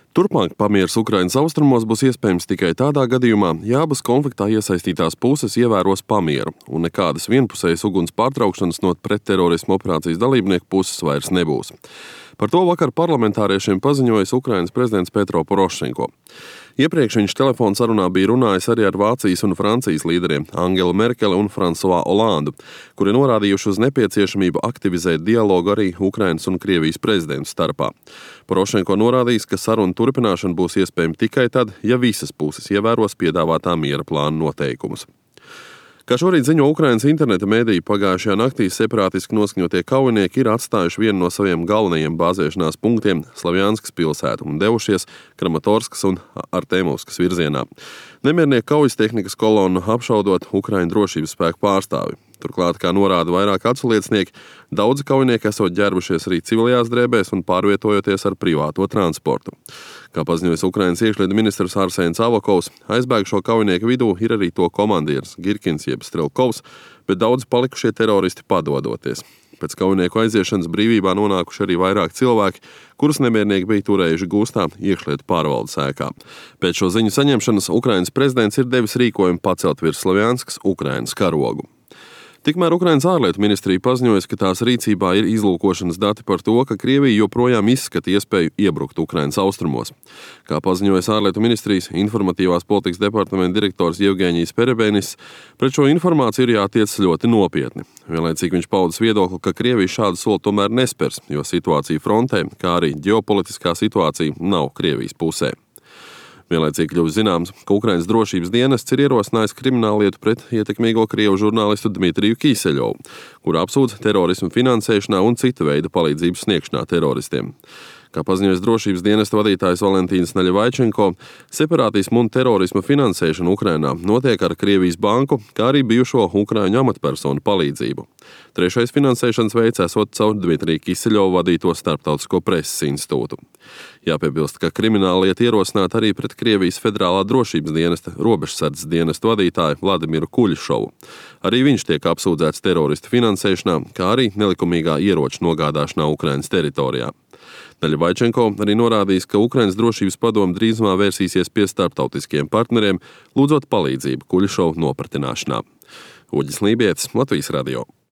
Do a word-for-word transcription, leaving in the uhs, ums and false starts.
Turpmāk pamieris Ukrainas austrumos būs iespējams tikai tādā gadījumā, ja abas konfliktā iesaistītās puses ievēros pamieru, un nekādas vienpusējas uguns pārtraukšanas no pretterorisma operācijas dalībnieku puses vairs nebūs. Par to vakar parlamentāriešiem paziņojis Ukrainas prezidents Petro Porošenko. Iepriekš viņš telefona sarunā bija runājis arī ar Vācijas un Francijas līderiem Angelu Merkeli un Fransuā Olandu, kuri norādījuši uz nepieciešamību aktivizēt dialogu arī Ukrainas un Krievijas prezidentu starpā. Porošenko norādījis, ka saruna turpināšana būs iespējama tikai tad, ja visas puses ievēros piedāvātā miera plāna noteikumus. Kā šorīt ziņo Ukrainas interneta mediji, pagājušajā naktī separātiski noskaņotie kaujinieki ir atstājuši vienu no saviem galvenajiem bāzēšanās punktiem Slavjanskas pilsētu un devušies Kramatorskas un Artemovskas virzienā. Nemiernieku kaujas tehnikas kolonu apšaudot Ukraiņu drošības spēku pārstāvi. Turklāt, kā norāda vairāk aculiecinieki, daudzi kaujinieki esot ģērbušies arī civilajās drēbēs un pārvietojoties ar privāto transportu. Kā paziņojas Ukrainas iekšlietu ministrs Arsēns Avakovs, aizbēgušo kaujinieku vidū ir arī to komandieris Girkins jeb Strelkovs, bet daudzi palikušie teroristi padodoties. Pēc kaujinieku aiziešanas brīvībā nonākuši arī vairāk cilvēki, kurus nemiernieki bija turējuši gūstā iekšlietu pārvaldes ēkā. Pēc šo ziņu saņemšanas Ukrainas prezidents ir devis rīkojumu pacelt virs Slavjanskas Ukrainas karogu. Tikmēr Ukrainas ārlietu ministrija paziņojas, ka tās rīcībā ir izlūkošanas dati par to, ka Krievija joprojām izskata iespēju iebrukt Ukrainas austrumos. Kā paziņojas ārlietu ministrijas informatīvās politikas departamenta direktors Jevgeņijs Perebenis, pret šo informāciju ir jātiec ļoti nopietni. Vienlaicīgi viņš paudis viedokli, ka Krievija šādu soli tomēr nespers, jo situācija frontē, kā arī ģeopolitiskā situācija nav Krievijas pusē. Vienlaicīgi kļuvis zināms, ka Ukrainas drošības dienests ir ierosinājis krimināllietu pret ietekmīgo krievu žurnālistu Dmitriju Kīseļovu, kuru apsūdz terorismu finansēšanā un cita veida palīdzības sniegšanā teroristiem. Kā paziņojas drošības dienesta vadītājs Valentīns Naļevaičenko, separātismu un terorisma finansēšana Ukrainā notiek ar Krievijas banku, kā arī bijušo ukraiņu amatpersonu palīdzību. Trešais finansēšanas veids esot caur Dmitriju Kīseļovu vadīto starptautisko preses institūtu. Jāpiebilst, ka krimināla lieta ierosināta arī pret Krievijas federālā drošības dienesta robežsardzes dienesta vadītāju Vladimiru Kuļšovu. Arī viņš tiek apsūdzēts teroristu finansēšanā, kā arī nelikumīgā ieroču nogādāšanā Ukrainas teritorijā. Naļevaičenko arī norādījis, ka Ukrainas drošības padome drīzumā vērsīsies pie starptautiskiem partneriem, lūdzot palīdzību Kuļšovu nopratināšanā. Uģis Lībietis, Latvijas radio.